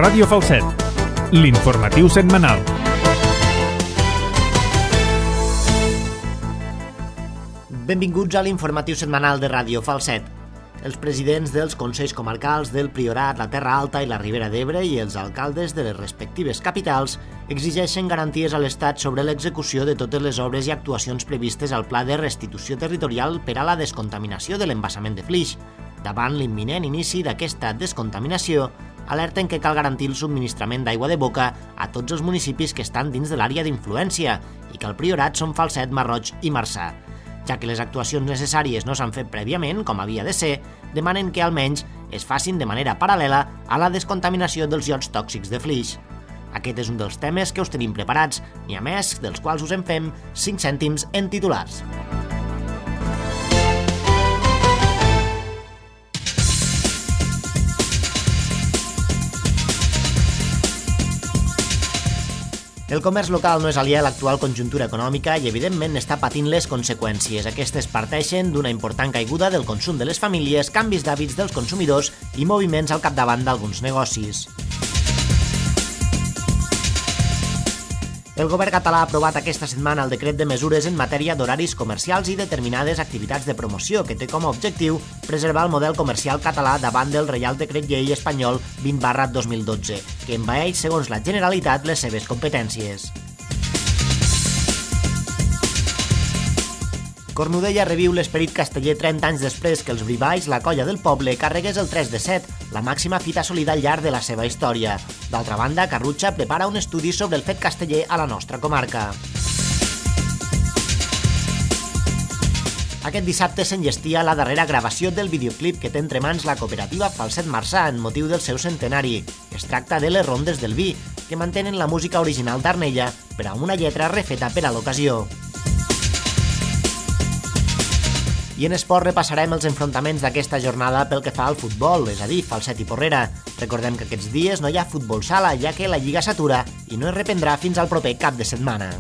Ràdio Falset, l'informatiu setmanal. Benvinguts a l'informatiu setmanal de Ràdio Falset. Els presidents dels Consells Comarcals del Priorat, la Terra Alta i la Ribera d'Ebre i els alcaldes de les respectives capitals exigeixen garanties a l'Estat sobre l'execució de totes les obres i actuacions previstes al Pla de Restitució Territorial per a la descontaminació de l'embassament de Flix. Davant l'imminent inici d'aquesta descontaminació, alerten que cal garantir el subministrament d'aigua de boca a tots els municipis que estan dins de l'àrea d'influència i que al Priorat són Falset, Masroig i Marçà. Ja que les actuacions necessàries no s'han fet prèviament, com havia de ser, demanen que almenys es facin de manera paral·lela a la descontaminació dels iots tòxics de Flix. Aquest és un dels temes que us tenim preparats, n'hi ha més, dels quals us en fem 5 cèntims en titulars. El comerç local no és aliè a l'actual conjuntura econòmica i, evidentment, està patint les conseqüències. Aquestes parteixen d'una important caiguda del consum de les famílies, canvis d'hàbits dels consumidors i moviments al capdavant d'alguns negocis. El govern català ha aprovat aquesta setmana el decret de mesures en matèria d'horaris comercials i determinades activitats de promoció, que té com a objectiu preservar el model comercial català davant del Reial Decret Llei espanyol 20/2012, que envaeix, segons la Generalitat, les seves competències. Cornudella reviu l'esperit casteller 30 anys després que els Brivalls, la colla del poble, carregués el 3 de 7, la màxima fita assolida al llarg de la seva història. D'altra banda, Carrutxa prepara un estudi sobre el fet casteller a la nostra comarca. Aquest dissabte s'enllestia la darrera gravació del videoclip que té entre mans la cooperativa Falset Marçà en motiu del seu centenari. Es tracta de Les Rondes del Vi, que mantenen la música original d'Arnella, però amb una lletra refeta per a l'ocasió. I en esport repassarem els enfrontaments d'aquesta jornada pel que fa al futbol, és a dir, Falset i Porrera. Recordem que aquests dies no hi ha futbol sala, ja que la Lliga s'atura i no es reprendrà fins al proper cap de setmana.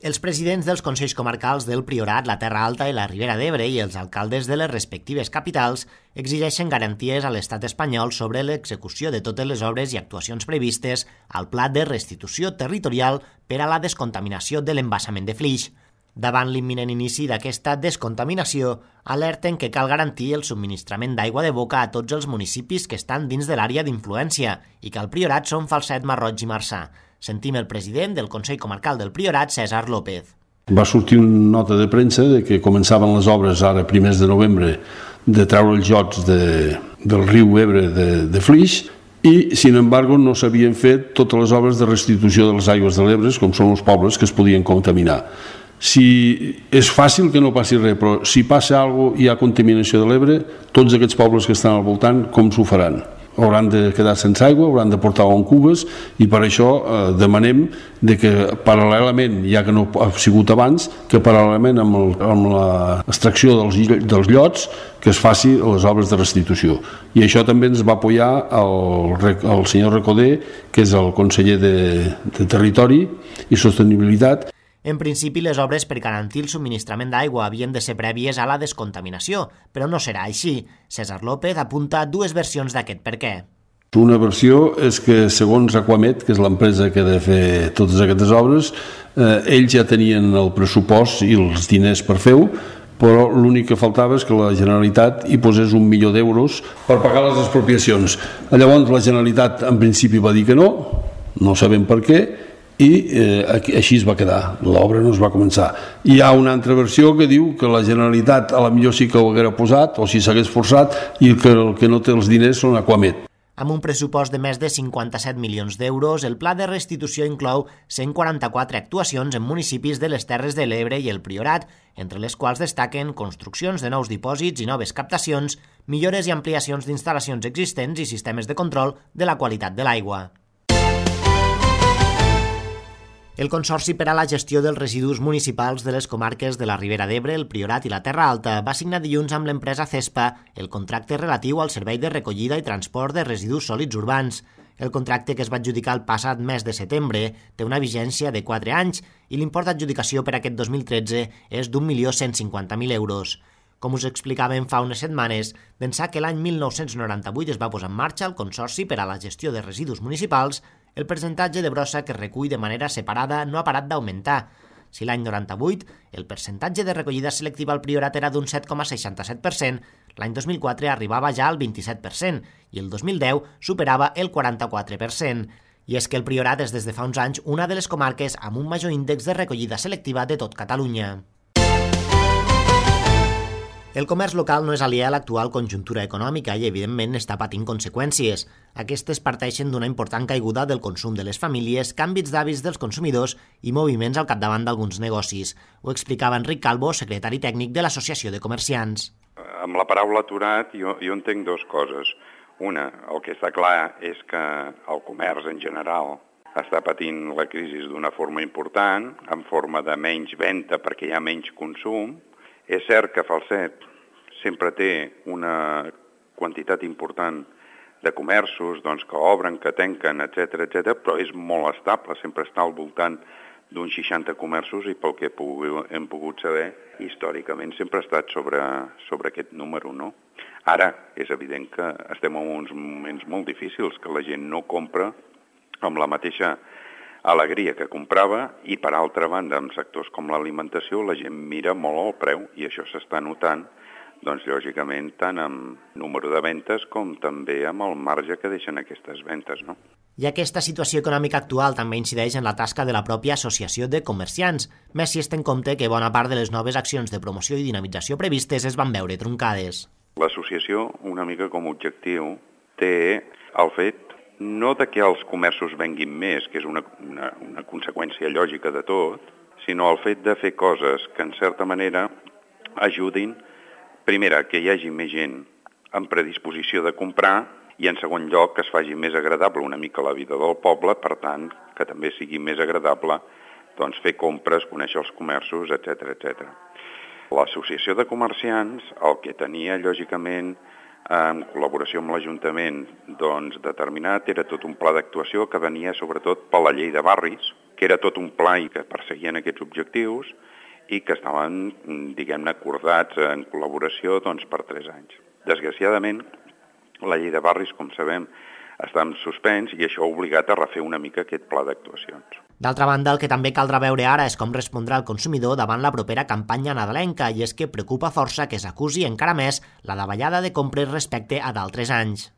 Els presidents dels Consells Comarcals del Priorat, la Terra Alta i la Ribera d'Ebre i els alcaldes de les respectives capitals exigeixen garanties a l'Estat espanyol sobre l'execució de totes les obres i actuacions previstes al Pla de Restitució Territorial per a la descontaminació de l'embassament de Flix. Davant l'imminent inici d'aquesta descontaminació, alerten que cal garantir el subministrament d'aigua de boca a tots els municipis que estan dins de l'àrea d'influència i que al Priorat són Falset, Masroig i Marçà. Sentim el president del Consell Comarcal del Priorat, César López. Va sortir una nota de premsa de que començaven les obres ara primers de novembre de treure els jots del riu Ebre de Flix i, sin embargo, no s'havien fet totes les obres de restitució de les aigües de l'Ebre, com són els pobles que es podien contaminar. Si és fàcil que no passi res, però si passa alguna cosa i hi ha contaminació de l'Ebre, tots aquests pobles que estan al voltant, com s'ho faran? Hauran de quedar sense aigua, hauran de portar-ho en cubes i per això demanem de que paral·lelament, ja que no ha sigut abans, que paral·lelament amb l'extracció dels llots que es faci les obres de restitució. I això també ens va apoyar el senyor Recoder, que és el conseller de Territori i Sostenibilitat. En principi, les obres per garantir el subministrament d'aigua havien de ser prèvies a la descontaminació, però no serà així. César López apunta dues versions d'aquest per què. Una versió és que, segons Aquamet, que és l'empresa que ha de fer totes aquestes obres, ells ja tenien el pressupost i els diners per fer-ho, però l'únic que faltava és que la Generalitat hi posés 1 milió d'euros per pagar les expropiacions. Llavors la Generalitat en principi va dir que no sabem per què, i així es va quedar, l'obra no es va començar. Hi ha una altra versió que diu que la Generalitat a la millor sí que ho haguera posat o si s'hagués forçat i que el que no té els diners són Aquamet. Amb un pressupost de més de 57 milions d'euros, el pla de restitució inclou 144 actuacions en municipis de les Terres de l'Ebre i el Priorat, entre les quals destaquen construccions de nous dipòsits i noves captacions, millores i ampliacions d'instal·lacions existents i sistemes de control de la qualitat de l'aigua. El Consorci per a la Gestió dels Residus Municipals de les comarques de la Ribera d'Ebre, el Priorat i la Terra Alta va signar dilluns amb l'empresa CESPA el contracte relatiu al servei de recollida i transport de residus sòlids urbans. El contracte, que es va adjudicar el passat mes de setembre, té una vigència de 4 anys i l'import d'adjudicació per aquest 2013 és d'1.150.000 euros. Com us explicàvem fa unes setmanes, d'ençà que l'any 1998 es va posar en marxa el Consorci per a la Gestió de Residus Municipals, el percentatge de brossa que es recull de manera separada no ha parat d'augmentar. Si l'any 98 el percentatge de recollida selectiva al Priorat era d'un 7,67%, l'any 2004 arribava ja al 27% i el 2010 superava el 44%. I és que el Priorat és des de fa uns anys una de les comarques amb un major índex de recollida selectiva de tot Catalunya. El comerç local no és aliè a l'actual conjuntura econòmica i, evidentment, està patint conseqüències. Aquestes parteixen d'una important caiguda del consum de les famílies, canvis d'hàbits dels consumidors i moviments al capdavant d'alguns negocis. Ho explicava Enric Calvo, secretari tècnic de l'Associació de Comerciants. Amb la paraula aturat jo entenc dues coses. Una, el que està clar és que el comerç en general està patint la crisi d'una forma important, en forma de menys venda perquè hi ha menys consum. És cert que Falset sempre té una quantitat important de comerços que obren, que tanquen, etc., però és molt estable, sempre està al voltant d'uns 60 comerços i pel que hem pogut saber, històricament sempre ha estat sobre aquest número, no? Ara, és evident que estem en uns moments molt difícils, que la gent no compra amb la mateixa alegria que comprava i, per altra banda, en sectors com l'alimentació, la gent mira molt el preu i això s'està notant, lògicament, tant amb número de ventes com també amb el marge que deixen aquestes ventes, no? I aquesta situació econòmica actual també incideix en la tasca de la pròpia Associació de Comerciants, més si es té en compte que bona part de les noves accions de promoció i dinamització previstes es van veure truncades. L'associació, una mica com a objectiu, té el fet no de que els comerços venguin més, que és una conseqüència lògica de tot, sinó el fet de fer coses que, en certa manera, ajudin, primera, que hi hagi més gent en predisposició de comprar i, en segon lloc, que es faci més agradable una mica la vida del poble, per tant, que també sigui més agradable fer compres, conèixer els comerços, etc. L'Associació de Comerciants, el que tenia, lògicament, en col·laboració amb l'Ajuntament, determinat, era tot un pla d'actuació que venia sobretot per la llei de barris, que era tot un pla i que perseguien aquests objectius i que estaven, diguem-ne, acordats en col·laboració per 3 anys. Desgraciadament, la llei de barris, com sabem, està en suspens i això ha obligat a refer una mica aquest pla d'actuacions. D'altra banda, el que també caldrà veure ara és com respondrà el consumidor davant la propera campanya nadalenca i és que preocupa força que s'acusi encara més la davallada de compres respecte a d'altres anys.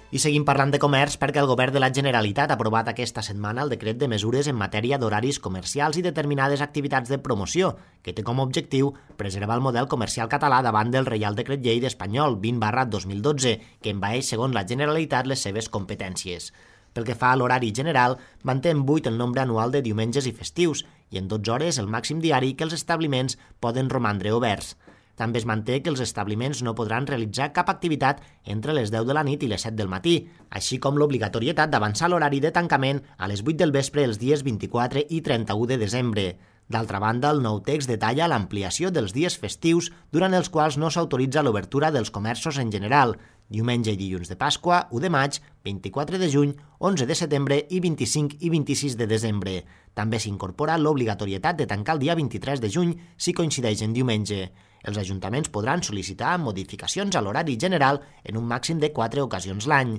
I seguim parlant de comerç perquè el Govern de la Generalitat ha aprovat aquesta setmana el decret de mesures en matèria d'horaris comercials i determinades activitats de promoció, que té com a objectiu preservar el model comercial català davant del Reial Decret Llei espanyol 20/2012, que envaeix, segons la Generalitat, les seves competències. Pel que fa a l'horari general, manté en 8 el nombre anual de diumenges i festius i en 12 hores el màxim diari que els establiments poden romandre oberts. També es manté que els establiments no podran realitzar cap activitat entre les 10 de la nit i les 7 del matí, així com l'obligatorietat d'avançar l'horari de tancament a les 8 del vespre els dies 24 i 31 de desembre. D'altra banda, el nou text detalla l'ampliació dels dies festius durant els quals no s'autoritza l'obertura dels comerços en general, diumenge i dilluns de Pasqua, 1 de maig, 24 de juny, 11 de setembre i 25 i 26 de desembre. També s'incorpora l'obligatorietat de tancar el dia 23 de juny si coincideix en diumenge. Els ajuntaments podran sol·licitar modificacions a l'horari general en un màxim de 4 ocasions l'any.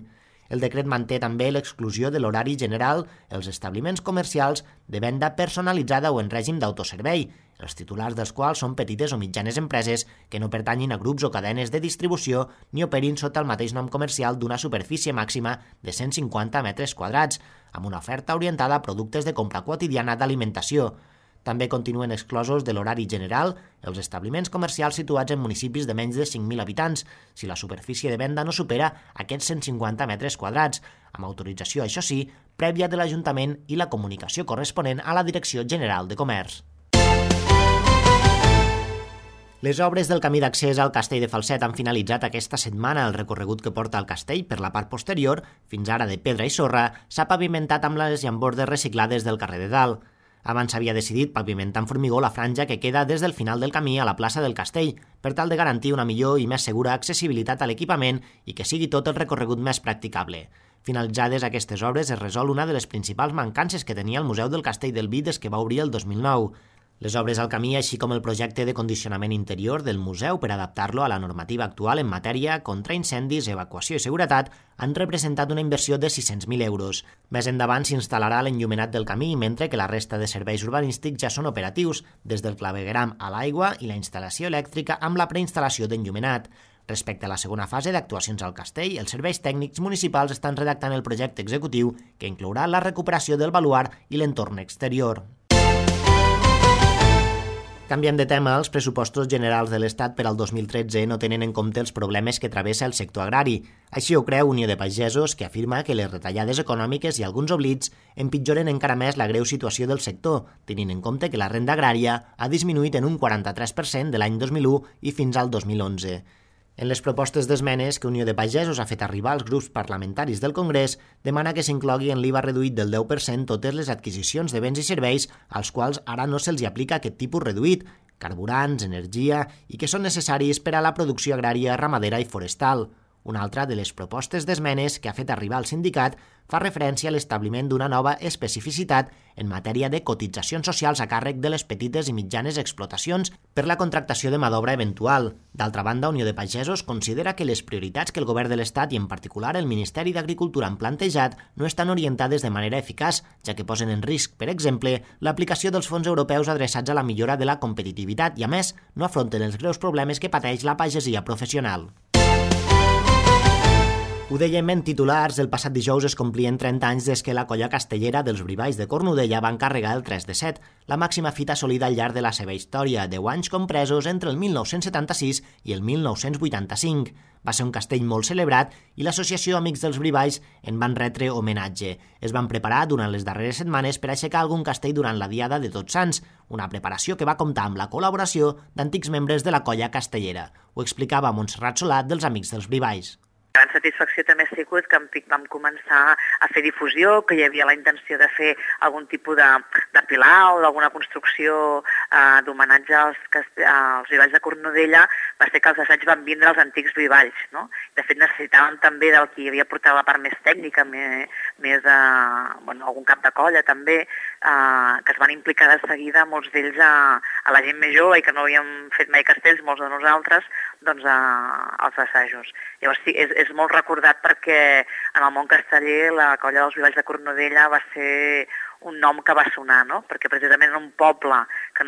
El decret manté també l'exclusió de l'horari general els establiments comercials de venda personalitzada o en règim d'autoservei, els titulars dels quals són petites o mitjanes empreses que no pertanyin a grups o cadenes de distribució ni operin sota el mateix nom comercial d'una superfície màxima de 150 metres quadrats, amb una oferta orientada a productes de compra quotidiana d'alimentació. També continuen exclosos de l'horari general els establiments comercials situats en municipis de menys de 5.000 habitants, si la superfície de venda no supera aquests 150 metres quadrats, amb autorització, això sí, prèvia de l'Ajuntament i la comunicació corresponent a la Direcció General de Comerç. Les obres del camí d'accés al castell de Falset han finalitzat aquesta setmana. El recorregut que porta al castell per la part posterior, fins ara de pedra i sorra, s'ha pavimentat amb les llambordes reciclades del carrer de Dalt. Abans s'havia decidit pavimentar amb formigó la franja que queda des del final del camí a la plaça del Castell, per tal de garantir una millor i més segura accessibilitat a l'equipament i que sigui tot el recorregut més practicable. Finalitzades aquestes obres es resol una de les principals mancances que tenia el Museu del Castell del Vi des que va obrir el 2009. Les obres al camí, així com el projecte de condicionament interior del museu per adaptar-lo a la normativa actual en matèria contra incendis, evacuació i seguretat, han representat una inversió de 600.000 euros. Més endavant s'instal·larà l'enllumenat del camí, mentre que la resta de serveis urbanístics ja són operatius, des del clavegueram a l'aigua i la instal·lació elèctrica amb la preinstal·lació d'enllumenat. Respecte a la segona fase d'actuacions al castell, els serveis tècnics municipals estan redactant el projecte executiu que inclourà la recuperació del baluard i l'entorn exterior. Canviem de tema, els pressupostos generals de l'Estat per al 2013 no tenen en compte els problemes que travessa el sector agrari. Així ho creu Unió de Pagesos, que afirma que les retallades econòmiques i alguns oblits empitjoren encara més la greu situació del sector, tenint en compte que la renda agrària ha disminuït en un 43% de l'any 2001 i fins al 2011. En les propostes d'esmenes que Unió de Pagesos ha fet arribar als grups parlamentaris del Congrés, demana que s'inclogui en l'IVA reduït del 10% totes les adquisicions de béns i serveis als quals ara no se'ls aplica aquest tipus reduït, carburants, energia, i que són necessaris per a la producció agrària, ramadera i forestal. Una altra de les propostes d'esmenes que ha fet arribar el sindicat fa referència a l'establiment d'una nova especificitat en matèria de cotitzacions socials a càrrec de les petites i mitjanes explotacions per la contractació de mà d'obra eventual. D'altra banda, Unió de Pagesos considera que les prioritats que el govern de l'Estat i en particular el Ministeri d'Agricultura han plantejat no estan orientades de manera eficaç, ja que posen en risc, per exemple, l'aplicació dels fons europeus adreçats a la millora de la competitivitat i, a més, no afronten els greus problemes que pateix la pagesia professional. Ho dèiem en titulars, el passat dijous es complien 30 anys des que la colla castellera dels Brivalls de Cornudella va encarregar el 3 de 7, la màxima fita assolida al llarg de la seva història, 10 anys compresos entre el 1976 i el 1985. Va ser un castell molt celebrat i l'Associació Amics dels Brivalls en van retre homenatge. Es van preparar durant les darreres setmanes per aixecar algun castell durant la Diada de Tots Sants, una preparació que va comptar amb la col·laboració d'antics membres de la colla castellera. Ho explicava Montserrat Solat dels Amics dels Brivalls. La gran satisfacció també ha sigut que vam començar a fer difusió, que hi havia la intenció de fer algun tipus de pilar o d'alguna construcció d'homenatge als Brivalls de Cornudella. Va ser que els assaigs van vindre als antics Brivalls, no? De fet, necessitàvem també del qui havia portat la part més tècnica, més algun cap de colla també, que es van implicar de seguida, molts d'ells a la gent més jove i que no havíem fet mai castells, molts de nosaltres, doncs als assajos. Llavors sí, és molt recordat perquè en el món casteller la colla dels Brivalls de Cornudella va ser un nom que va sonar, no? Perquè precisament en un poble que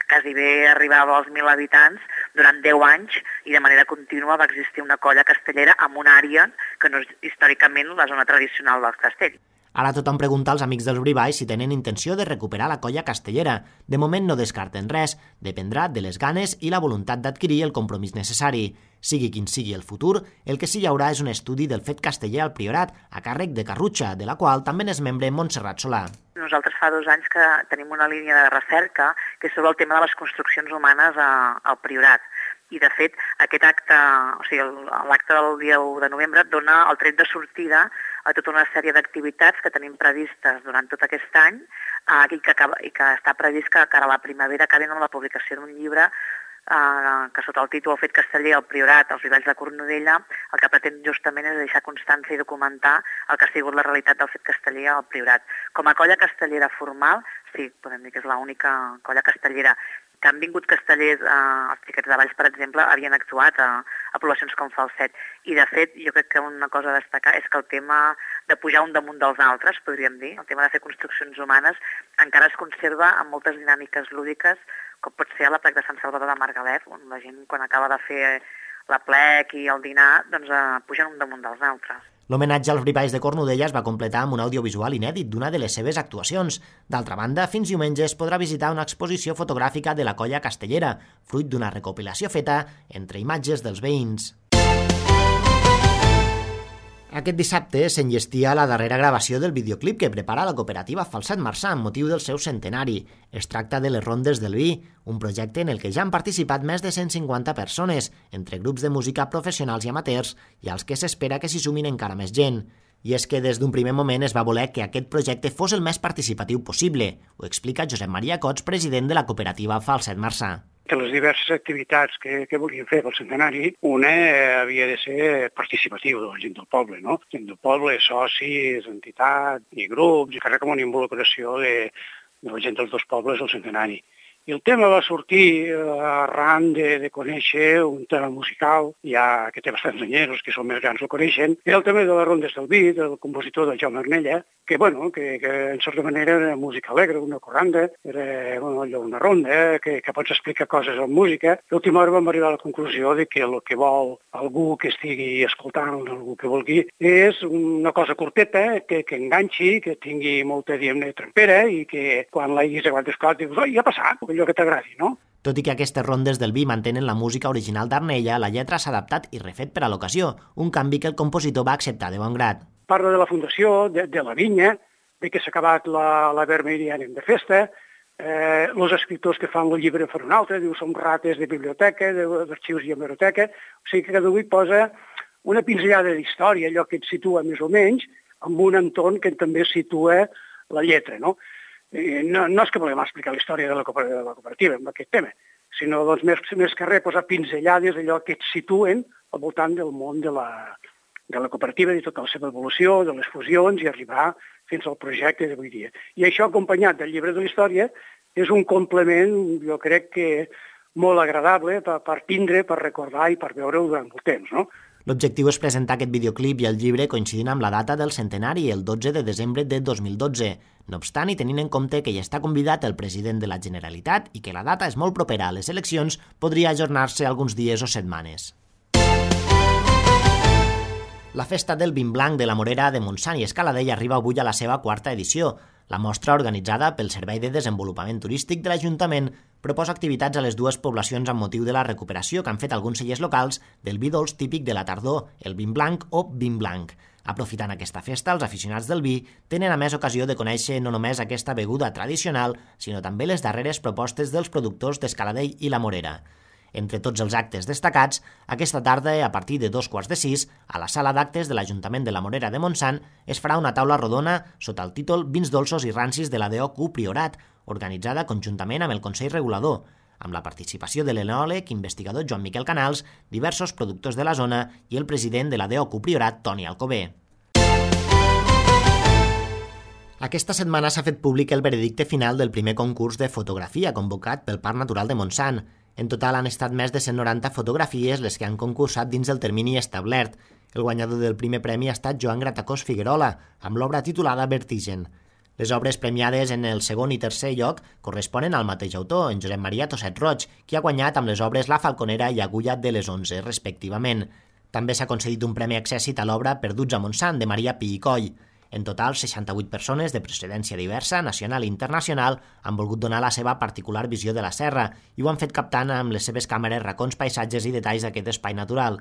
quasi bé arribava als 1.000 habitants, durant 10 anys i de manera contínua va existir una colla castellera en una àrea que no és històricament la zona tradicional del castell. Ara tothom pregunta als Amics dels Brivalls si tenen intenció de recuperar la colla castellera. De moment no descarten res, dependrà de les ganes i la voluntat d'adquirir el compromís necessari. Sigui quin sigui el futur, el que sí hi haurà és un estudi del fet casteller al Priorat, a càrrec de Carrutxa, de la qual també n'és membre Montserrat Solà. Nosaltres fa 2 anys que tenim una línia de recerca que és sobre el tema de les construccions humanes al Priorat. I, de fet, aquest acte, o sigui, l'acte del dia 1 de novembre dona el tret de sortida a tota una sèrie d'activitats que tenim previstes durant tot aquest any i que està previst que a la primavera acabin amb la publicació d'un llibre que sota el títol El fet casteller al Priorat, als Brivalls de Cornudella, el que pretén justament és deixar constància i documentar el que ha sigut la realitat del fet casteller al Priorat. Com a colla castellera formal, sí, podem dir que és l'única colla castellera que han vingut castellers, els Xiquets de Valls, per exemple, havien actuat a poblacions com Falset. I, de fet, jo crec que una cosa a destacar és que el tema de pujar un damunt dels altres, podríem dir, el tema de fer construccions humanes, encara es conserva amb moltes dinàmiques lúdiques, com pot ser a la plec de Sant Salvador de Margalef, on la gent, quan acaba de fer la plec i el dinar, doncs pugen un damunt dels altres. L'homenatge als Brivalls de Cornudella es va completar amb un audiovisual inèdit d'una de les seves actuacions. D'altra banda, fins diumenge es podrà visitar una exposició fotogràfica de la colla castellera, fruit d'una recopilació feta entre imatges dels veïns. Aquest dissabte s'enllestia la darrera gravació del videoclip que prepara la cooperativa Falset Marçà amb motiu del seu centenari. Es tracta de les Rondes del Vi, un projecte en el que ja han participat més de 150 persones, entre grups de música professionals i amateurs, i als que s'espera que s'hi sumin encara més gent. I és que des d'un primer moment es va voler que aquest projecte fos el més participatiu possible. Ho explica Josep Maria Cots, president de la cooperativa Falset Marçà. De les diverses activitats que volíem fer pel centenari, una havia de ser participativa de la gent del poble, no? Gent del poble, socis, entitats i grups, i que com una involucració de la gent dels dos pobles al centenari. I el tema va sortir arran de conèixer un tema musical, ja que té bastants anyeros, que són més grans el coneixen, era el tema de les rondes del vi, del compositor del Jaume Arnella, que en certa manera era música alegre, una corranda, era allò, una ronda, que pots explicar coses amb música. A l'última hora vam arribar a la conclusió de que el que vol algú que estigui escoltant, algú que vulgui, és una cosa curteta, que enganxi, que tingui molta, diguem-ne, trempera i que quan l'haguis aguantat esclat dius, ja ha passat, allò que t'agradi, no? Tot i que aquestes rondes del vi mantenen la música original d'Arnella, la lletra s'ha adaptat i refet per a l'ocasió, un canvi que el compositor va acceptar de bon grat. Parla de la fundació, de la vinya, de que s'ha acabat la vermella i anem de festa, els escriptors que fan el llibre fan un altre, diu som rates de biblioteca, d'arxius i hemeroteca, o sigui que cada un hi posa una pinzellada d'història, allò que et situa més o menys, amb un entorn que també situa la lletra, no? No és que volem explicar la història de la cooperativa amb aquest tema, sinó doncs, més que res posar pinzellades allò que et situen al voltant del món de la cooperativa, de tota la seva evolució, de les fusions i arribar fins al projecte d'avui dia. I això, acompanyat del llibre de la història, és un complement, jo crec que molt agradable per tindre, per recordar i per veure-ho durant molt temps, no? L'objectiu és presentar aquest videoclip i el llibre coincidint amb la data del centenari, el 12 de desembre de 2012. No obstant, i tenint en compte que hi està convidat el president de la Generalitat i que la data és molt propera a les eleccions, podria ajornar-se alguns dies o setmanes. La Festa del Vin Blanc de la Morera de Montsant i Escaladell arriba avui a la seva quarta edició. La mostra, organitzada pel Servei de Desenvolupament Turístic de l'Ajuntament, proposa activitats a les dues poblacions amb motiu de la recuperació que han fet alguns cellers locals del vi dolç típic de la tardor, el vin blanc o vin blanc. Aprofitant aquesta festa, els aficionats del vi tenen a més ocasió de conèixer no només aquesta beguda tradicional, sinó també les darreres propostes dels productors d'Escaladell i la Morera. Entre tots els actes destacats, aquesta tarda, a partir de 5:15, a la sala d'actes de l'Ajuntament de la Morera de Montsant es farà una taula rodona sota el títol Vins dolços i rancis de la DOQ Priorat, organitzada conjuntament amb el Consell Regulador, amb la participació de l'enòleg investigador Joan Miquel Canals, diversos productors de la zona i el president de la DOQ Priorat, Toni Alcover. Aquesta setmana s'ha fet públic el veredicte final del primer concurs de fotografia convocat pel Parc Natural de Montsant. En total han estat més de 190 fotografies les que han concursat dins del termini establert. El guanyador del primer premi ha estat Joan Gratacós Figuerola, amb l'obra titulada Vertigen. Les obres premiades en el segon i tercer lloc corresponen al mateix autor, en Josep Maria Tosset Roig, qui ha guanyat amb les obres La Falconera i Agulla de les 11, respectivament. També s'ha concedit un premi accèssit a l'obra Perduts a Montsant, de Maria Pi i Coll. En total, 68 persones de procedència diversa, nacional i internacional, han volgut donar la seva particular visió de la serra i ho han fet captant amb les seves càmeres racons, paisatges i detalls d'aquest espai natural.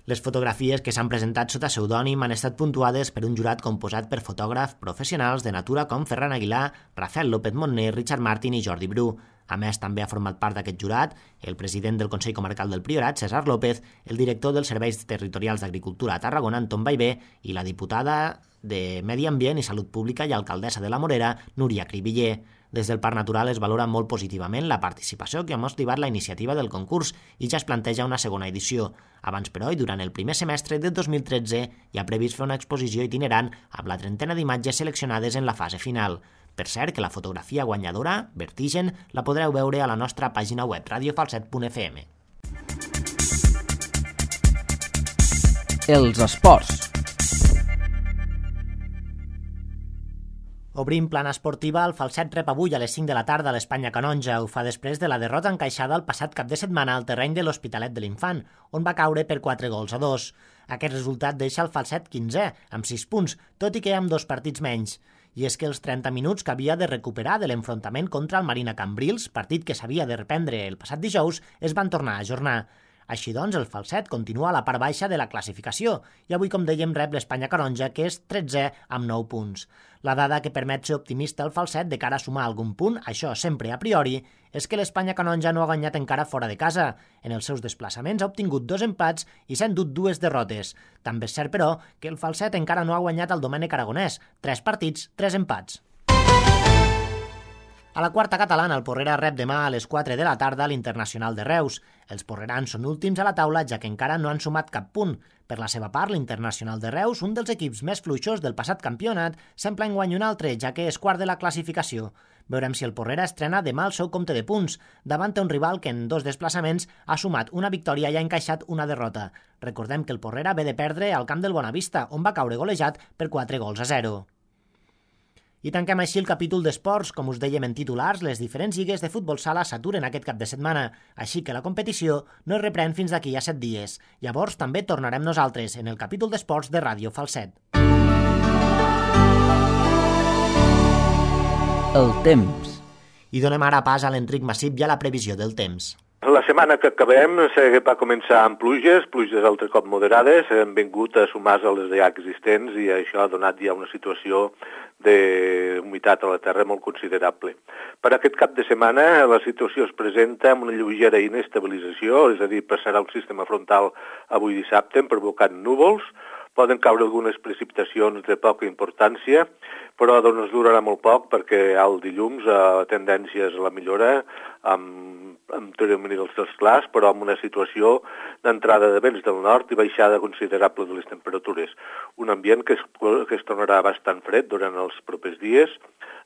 Les fotografies que s'han presentat sota pseudònim han estat puntuades per un jurat composat per fotògrafs professionals de natura com Ferran Aguilar, Rafael López Montner, Richard Martin i Jordi Bru. A més, també ha format part d'aquest jurat el president del Consell Comarcal del Priorat, César López, el director dels Serveis Territorials d'Agricultura a Tarragona, Anton Baivé, i la diputada de Medi Ambient i Salut Pública i alcaldessa de la Morera, Núria Cribiller. Des del Parc Natural es valora molt positivament la participació que ha motivat la iniciativa del concurs i ja es planteja una segona edició. Abans, però, i durant el primer semestre de 2013, hi ha previst fer una exposició itinerant amb la 30 d'imatges seleccionades en la fase final. Per cert, que la fotografia guanyadora, Vertigen, la podreu veure a la nostra pàgina web radiofalset.fm. Els esports. Obrim plana esportiva, el Falset rep avui a les 5 de la tarda a l'Espanya Canonja. Ho fa després de la derrota encaixada el passat cap de setmana al terreny de l'Hospitalet de l'Infant, on va caure per 4-2. Aquest resultat deixa el Falset 15è, amb 6 punts, tot i que amb 2 partits menys. I és que els 30 minuts que havia de recuperar de l'enfrontament contra el Marina Cambrils, partit que s'havia de reprendre el passat dijous, es van tornar a ajornar. Així doncs, el Falset continua a la part baixa de la classificació i avui, com dèiem, rep l'Espanya Canonja, que és 13è amb 9 punts. La dada que permet ser optimista al Falset de cara a sumar algun punt, això sempre a priori, és que l'Espanya Canonja no ha guanyat encara fora de casa. En els seus desplaçaments ha obtingut 2 empats i s'ha endut 2 derrotes. També és cert, però, que el Falset encara no ha guanyat al Domènec Aragonès. 3 partits, 3 empats. A la quarta catalana, el Porrera rep demà a les 4 de la tarda l'Internacional de Reus. Els porrerans són últims a la taula, ja que encara no han sumat cap punt. Per la seva part, l'Internacional de Reus, un dels equips més fluixos del passat campionat, sembla enguany un altre, ja que és quart de la classificació. Veurem si el Porrera estrena demà el seu compte de punts, davant un rival que en 2 desplaçaments ha sumat una victòria i ha encaixat una derrota. Recordem que el Porrera ve de perdre al camp del Bonavista, on va caure golejat per 4-0. I tanquem així el capítol d'esports. Com us dèiem en titulars, les diferents lligues de futbol sala s'aturen aquest cap de setmana, així que la competició no es reprèn fins d'aquí a 7 dies. Llavors també tornarem nosaltres en el capítol d'esports de Ràdio Falset. El temps. I donem ara pas a l'Enric Massip i a la previsió del temps. La setmana que acabem va començar amb pluges altre cop moderades, han vingut a sumar-se a les ja existents i això ha donat ja una situació d'humitat a la terra molt considerable. Per aquest cap de setmana la situació es presenta amb una lleugera inestabilització, és a dir, passarà el sistema frontal avui dissabte provocant núvols, poden caure algunes precipitacions de poca importància, però doncs durarà molt poc perquè el dilluns la tendència és la millora amb termini dels cels clars, però amb una situació d'entrada de vents del nord i baixada considerable de les temperatures. Un ambient que es tornarà bastant fred durant els propers dies,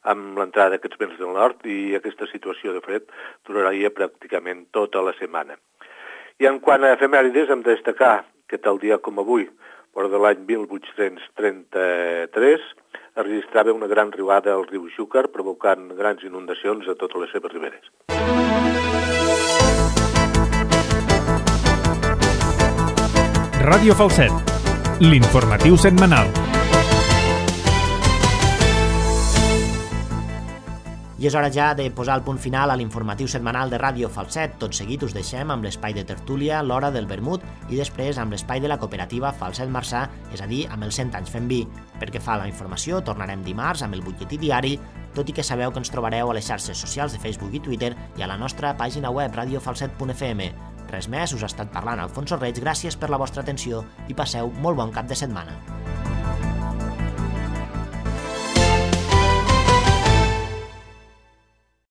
amb l'entrada d'aquests vents del nord, i aquesta situació de fred duraria pràcticament tota la setmana. I en quant a efemèrides, hem de destacar que tal dia com avui, però de l'any 1833, es registrava una gran riuada al riu Xúquer, provocant grans inundacions a totes les seves riberes. Ràdio Falset, l'informatiu setmanal. I és hora ja de posar el punt final a l'informatiu setmanal de Ràdio Falset. Tot seguit us deixem amb l'espai de tertúlia, l'hora del vermut, i després amb l'espai de la cooperativa Falset Marçà, és a dir, amb els 100 anys fent vi. Perquè fa la informació, tornarem dimarts amb el butlletí diari, tot i que sabeu que ens trobareu a les xarxes socials de Facebook i Twitter i a la nostra pàgina web radiofalset.fm. Res més, us ha estat parlant Alfonso Reig, gràcies per la vostra atenció i passeu molt bon cap de setmana.